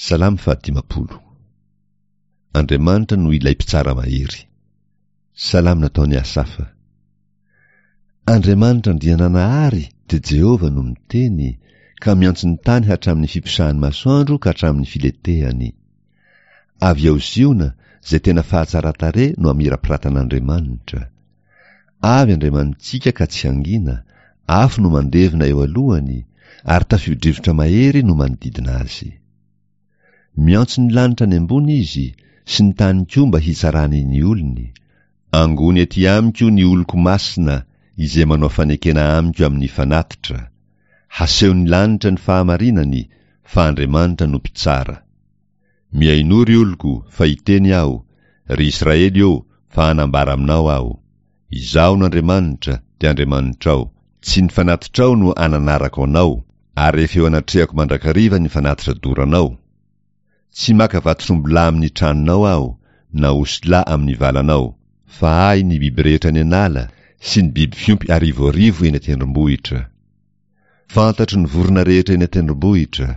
Salamo fahadimampolo. Andriamanitra no ilay mpitsara mahery. Salamo nataon'i Asafa. Andriamanitra Andriananahary dia Jehovah no miteny, ka miantso ny tany hatramin'ny fiposahan'ny masoandro ka hatramin'ny filetehany. Avy ao Ziona, izay tena fahatsaran-tarehy no amirapiratan'Andriamanitra. Avy Andriamanitsika ka tsy hangina, afo no mandevona eo alohany, ary tafio-drivotra mahery no manodidina azy. Miantso ny lanitra any ambony izy, sy ny tany koa mba hitsarany ny olony. Angony ety amiko ny oloko masina, izay manao fanekena amiko amin'ny fanatitra. Hasehon'ny lanitra ny fahamarinany, fa Andriamanitra no mpitsara. Mihainoa ry oloko, fa hiteny Aho, ry Israely ô, fa hanambara aminao Aho. Izaho no Andriamanitra, dia Andriamanitrao. Tsy ny fanatitrao no ananarako anao, ary efa eo anatrehako mandrakariva ny fanatitra doranao. Tsy maka vatotr'ombilahy amin'ny tranonao Aho, na osilahy amin'ny valanao. Fa Ahy ny biby rehetra any an'ala, sy ny biby fiompy arivoarivo eny an-tendrombohitra. Fantatro ny vorona rehetra eny an-tendrombohitra,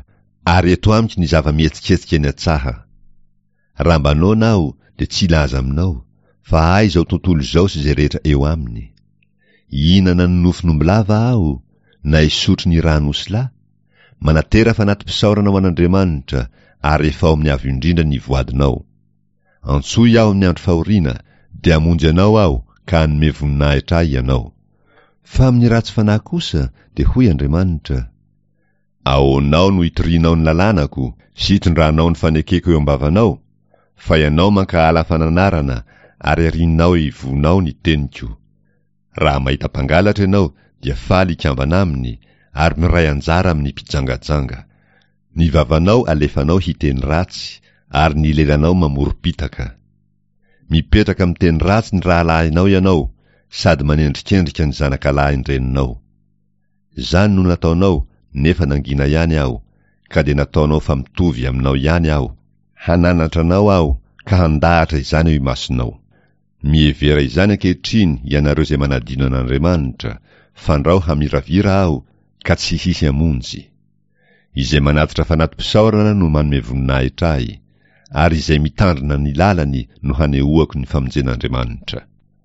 ary eto amiko ny zava-mihetsiketsika eny an-tsaha. Raha mba noana aho, dia tsy hilaza aminao, fa ahy izao tontolo izao sy izay rehetra eo aminy. Hihinana ny nofon'ombilava aho, na hisotro ny ràn'osilahy? Manatera fanati-pisaorana ho an'Andriamanitra, ary efao amin'ny Avo Indrindra ny voadinao. Antsoy aho amin'ny andro fahoriana, dia hamonjy anao aho ka hanome voninahitra ahy ianao. Fa amin'ny ratsy fanahy kosa, dia hoy Andriamanitra, Ahoanao no itorianao ny lalànako sy itondranao ny fanekeko eo am-bavanao? Fa ianao mankahala fananarana ary arianao ivohonao ny teniko. Raha mahita mpangalatra ianao dia faly hikambana aminy ary miray anjara amin'ny mpijangajanga. Ny vavanao alefanao hiteny ratsy ary ny lelanao mamorom-pitaka. Mipetraka miteny ratsy ny rahalahinao ianao sady manendrikendrika ny zanakalahin-dreninao. Izany no nataonao nefa nangina ihany aho, ka dia nataonao fa mitovy aminao ihany aho, hananatra anao aho ka handahatra izany eo imasonao. Mihevera izany ankehitriny ianareo izay manadino an'Andriamanitra, fandrao hamiravira aho ka tsy hisy hamonjy. Izay manatitra fanati-pisaorana no manome voninahitra ahy, ary izay mitandrina ny lalany no hanehoako ny famonjen'Andriamanitra.